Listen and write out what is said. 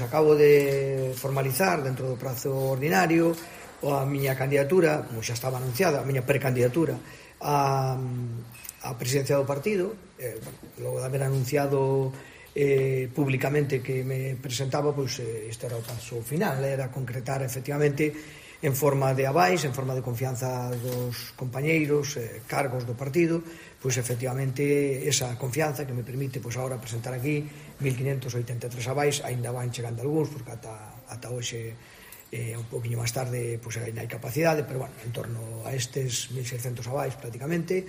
Acabo de formalizar dentro do prazo ordinario a miña candidatura, como xa estaba anunciada, a miña precandidatura a presidencia do partido. Logo de haber anunciado públicamente que me presentaba, pois este era o paso final, era concretar efectivamente en forma de avais, en forma de confianza dos compañeiros, cargos do partido, pois efectivamente esa confianza que me permite pois agora presentar aquí 1583 avais. Ainda van chegando algúns, porque ata hoxe un poquinho máis tarde pois ainda hai capacidade, pero bueno, en torno a estes 1600 avais prácticamente.